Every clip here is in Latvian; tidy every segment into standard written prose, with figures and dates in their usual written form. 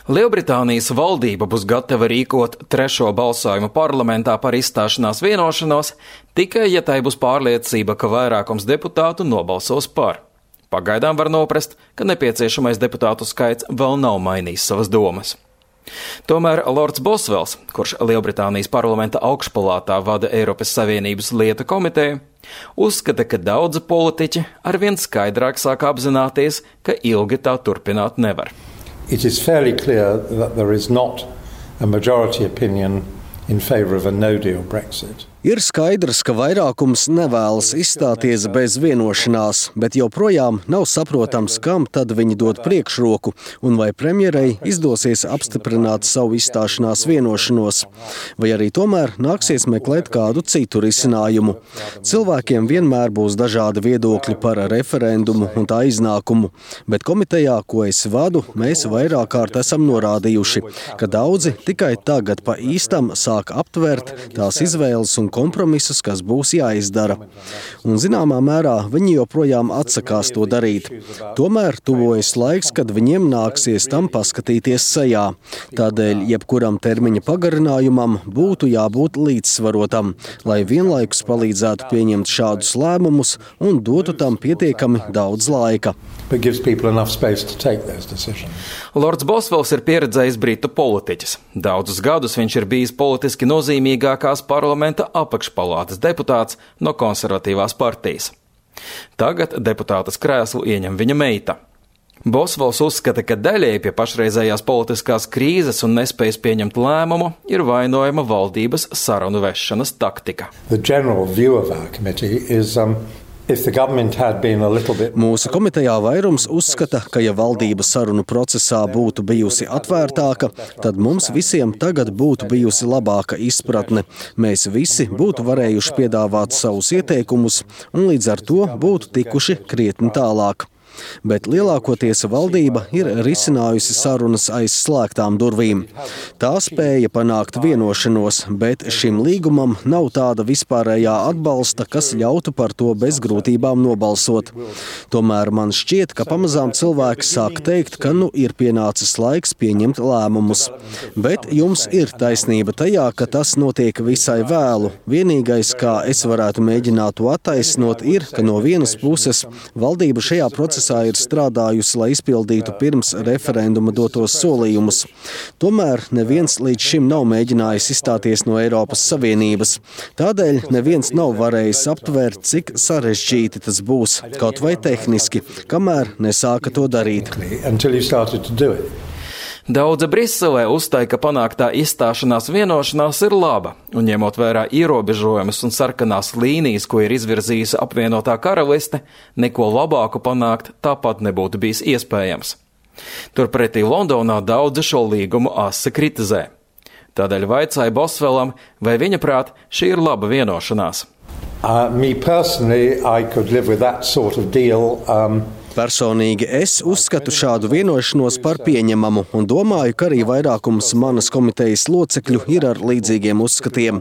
Lielbritānijas valdība būs gatava rīkot trešo balsojumu parlamentā par izstāšanās vienošanos, tikai ja tai būs pārliecība, ka vairākums deputātu nobalsos par. Pagaidām var noprast, ka nepieciešamais deputātu skaits vēl nav mainījis savas domas. Tomēr Lords Boswells, kurš Lielbritānijas parlamenta augšpalātā vada Eiropas Savienības lietu komiteju, uzskata, ka daudzi politiķi arvien skaidrāk sāk apzināties, ka ilgi tā turpināt nevar. It is fairly clear that there is not a majority opinion in favour of a no-deal Brexit. Ir skaidrs, ka vairākums nevēlas izstāties bez vienošanās, bet joprojām nav saprotams, kam tad viņi dod priekšroku un vai premjerei izdosies apstiprināt savu izstāšanās vienošanos, vai arī tomēr nāksies meklēt kādu citu risinājumu. Cilvēkiem vienmēr būs dažādi viedokļi par referendumu un tā iznākumu, bet komitejā, ko es vadu, mēs vairāk kārt esam norādījuši, ka daudzi tikai tagad pa īstam sāk aptvert tās izvēles un kompromisus, kas būs jāizdara. Un zināmā mērā viņi joprojām atsakās to darīt. Tomēr tuvojas laiks, kad viņiem nāksies tam paskatīties sejā. Tādēļ jebkuram termiņa pagarinājumam būtu jābūt līdzsvarotam, lai vienlaikus palīdzētu pieņemt šādus lēmumus un dotu tam pietiekami daudz laika. Lords Boswells ir pieredzējis britu politiķis. Daudzus gadus viņš ir bijis politiski nozīmīgākās parlamenta apakšpalātas deputāts no konservatīvās partijas. Tagad deputātas krēslu ieņem viņa meita. Boswells uzskata, ka daļēji pie pašreizējās politiskās krīzes un nespējas pieņemt lēmumu ir vainojama valdības sarunu vešanas taktika. Mūsu komitejā vairums uzskata, ka ja valdība sarunu procesā būtu bijusi atvērtāka, tad mums visiem tagad būtu bijusi labāka izpratne. Mēs visi būtu varējuši piedāvāt savus ieteikumus un līdz ar to būtu tikuši krietni tālāk. Bet lielākoties valdība ir risinājusi sarunas aiz slēgtām durvīm. Tā spēja panākt vienošanos, bet šim līgumam nav tāda vispārējā atbalsta, kas ļautu par to bez grūtībām nobalsot. Tomēr man šķiet, ka pamazām cilvēki sāk teikt, ka ir pienācis laiks pieņemt lēmumus. Bet jums ir taisnība tajā, ka tas notiek visai vēlu. Vienīgais, kā es varētu mēģināt to attaisnot, ir, ka no vienas puses valdība šajā procesā ir strādājusi, lai izpildītu pirms referenduma dotos solījumus. Tomēr neviens līdz šim nav mēģinājis izstāties no Eiropas Savienības. Tādēļ neviens nav varējis aptvērt, cik sarežģīti tas būs, kaut vai tehniski, kamēr nesāka to darīt. Daudzi Briselē uzstāja, ka panāktā izstāšanās vienošanās ir laba, un ņemot vērā ierobežojumus un sarkanās līnijas, ko ir izvirzījusi apvienotā karaliste, neko labāku panākt tāpat nebūtu bijis iespējams. Turpretī Londonā daudzi šo līgumu asi kritizē. Tādēļ vaicāja Boswellam, vai viņa prāt šī ir laba vienošanās. Me personally, I could live with that sort of deal. Personīgi es uzskatu šādu vienošanos par pieņemamu un domāju, ka arī vairākums manas komitejas locekļu ir ar līdzīgiem uzskatiem.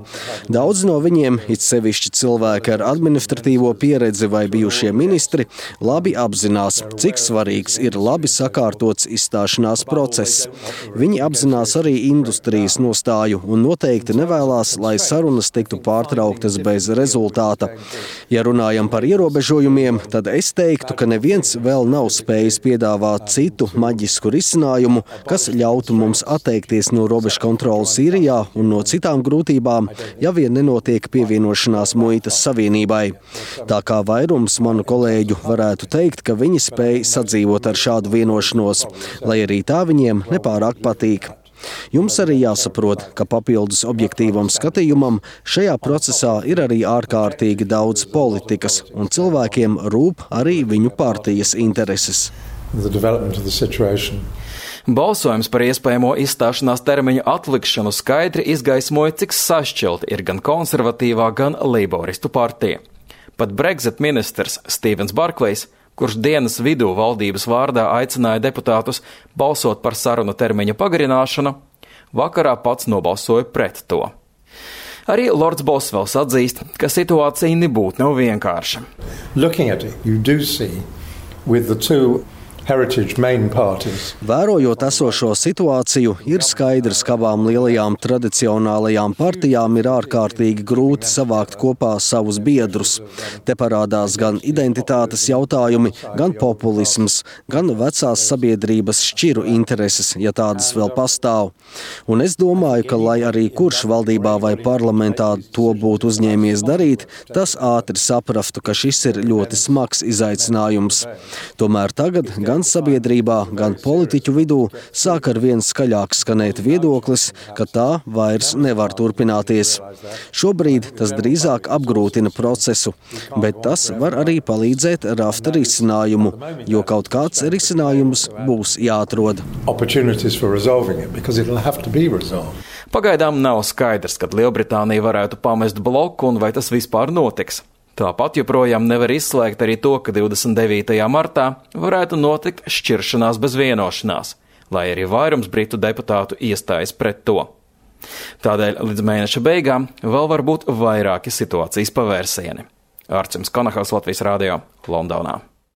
Daudz no viņiem, it sevišķi cilvēki ar administratīvo pieredzi vai bijušie ministri, labi apzinās, cik svarīgs ir labi sakārtots izstāšanās process. Viņi apzinās arī industrijas nostāju un noteikti nevēlās, lai sarunas tiktu pārtrauktas bez rezultāta. Ja runājam par ierobežojumiem, tad es teiktu, ka neviens vēl nav spējis piedāvāt citu maģisku risinājumu, kas ļautu mums atteikties no robežu kontrolas Īrijā un no citām grūtībām, ja vien nenotiek pievienošanās muitas savienībai. Tā kā vairums manu kolēģu varētu teikt, ka viņi spēj sadzīvot ar šādu vienošanos, lai arī tā viņiem nepārāk patīk. Jums arī jāsaprot, ka papildus objektīvam skatījumam šajā procesā ir arī ārkārtīgi daudz politikas, un cilvēkiem rūp arī viņu partijas intereses. Balsojums par iespējamo izstāšanās termiņu atlikšanu skaidri izgaismoja, cik sašķelti ir gan konservatīvā, gan leiboristu partija. Pat Brexit ministrs Stevens Barklejs, kurš dienas vidū valdības vārdā aicināja deputātus balsot par sarunu termiņa pagarināšanu, vakarā pats nobalsoja pret to. Arī Lords Boswells atzīst, ka situācija nebūtu nav vienkārša. heritage main parties. Vērojot esošo situāciju, ir skaidrs, ka abām lielajām tradicionālajām partijām ir ārkārtīgi grūti savākt kopā savus biedrus. Te parādās gan identitātes jautājumi, gan populisms, gan vecās sabiedrības šķiru intereses, ja tādas vēl pastāv. Un es domāju, ka lai arī kurš valdībā vai parlamentā to būtu uzņēmies darīt, tas ātri saprastu, ka šis ir ļoti smags izaicinājums. Tomēr tagad gan sabiedrībā, gan politiķu vidū sāk ar vien skaļāk skanēt viedoklis, ka tā vairs nevar turpināties. Šobrīd tas drīzāk apgrūtina procesu, bet tas var arī palīdzēt rast risinājumu, jo kaut kāds risinājums būs jāatrod. Pagaidām nav skaidrs, kad Lielbritānija varētu pamest bloku un vai tas vispār notiks. Tāpat joprojām nevar izslēgt arī to, ka 29. martā varētu notikt šķiršanās bez vienošanās, lai arī vairums britu deputātu iestājas pret to. Tādēļ līdz mēneša beigām vēl var būt vairāki situācijas pavērsieni. Ārcims Konahals, Latvijas radio, Londonā.